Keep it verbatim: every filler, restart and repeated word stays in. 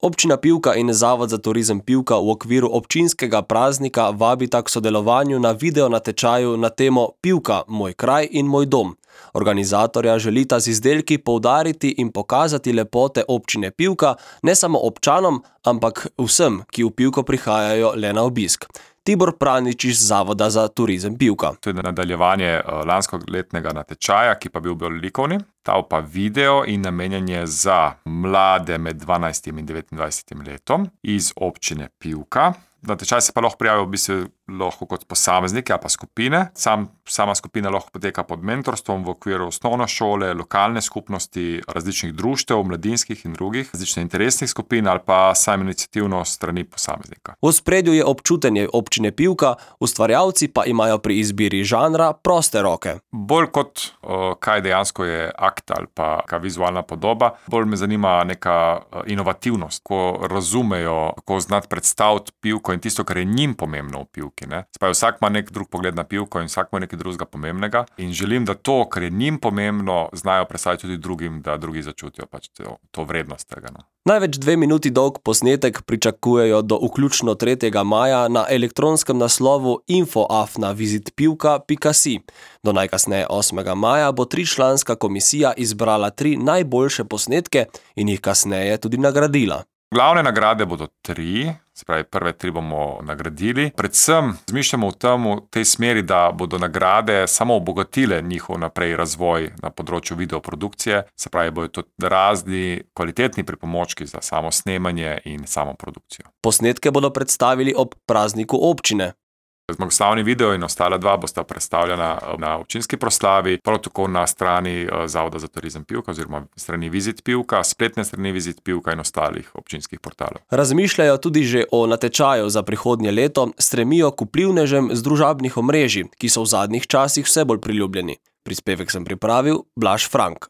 Občina Pivka in Zavod za turizem Pivka v okviru občinskega praznika vabita k sodelovanju na video natečaju na temo Pivka, moj kraj in moj dom. Organizatorja želita z izdelki poudariti in pokazati lepote občine Pivka ne samo občanom, ampak vsem, ki v Pivko prihajajo le na obisk. Tibor Pranič iz Zavoda za turizem Pivka. To je nadaljevanje lanskoletnega natečaja, ki pa bil bolj likovni. Ta pa video in namenjanje za mlade med dvanajstim in devetindvajsetim letom iz občine Pivka. Natečaj se pa lahko prijavijo v bistvu lahko kot posamezniki ali pa skupine. Sam, sama skupina lahko poteka pod mentorstvom v okviru osnovne šole, lokalne skupnosti, različnih društev, mladinskih in drugih, različnih interesnih skupin ali pa sam iniciativno strani posameznika. V ospredju je občutenje občine Pivka, ustvarjalci pa imajo pri izbiri žanra proste roke. Bolj kot uh, kaj dejansko je akt ali pa kaj vizualna podoba, bolj me zanima neka inovativnost, ko razumejo, kako znati predstaviti Pivko in tisto, kar je njim pomembno v Pivki. Spaj, vsak ima nek drug pogled na Pivko in vsak ima nekaj drugega pomembnega in želim, da to, kar je njim pomembno, znajo predstaviti tudi drugim, da drugi začutijo pač to, to vrednost tega. No. Največ dve minuti dolg posnetek pričakujejo do vključno tretjega maja na elektronskem naslovu info afna visit pivka pika si. Do najkasneje osmega maja bo tričlanska komisija izbrala tri najboljše posnetke in jih kasneje tudi nagradila. Glavne nagrade bodo tri, se pravi prve tri bomo nagradili. Predvsem zmišljamo v tem, v tej smeri, da bodo nagrade samo obogatile njihov naprej razvoj na področju videoprodukcije, se pravi bodo to razni kvalitetni pripomočki za samo snemanje in samo produkcijo. Posnetke bodo predstavili ob prazniku občine. Zmagoslavni video in ostala dva bosta predstavljena na občinski proslavi, prav tako na strani Zavoda za turizem Pivka oziroma strani Visit Pivka, spletne strani Visit Pivka in ostalih občinskih portalov. Razmišljajo tudi že o natečaju za prihodnje leto, stremijo k vplivnežem z družabnih omrežij, ki so v zadnjih časih vse bolj priljubljeni. Prispevek sem pripravil Blaž Frank.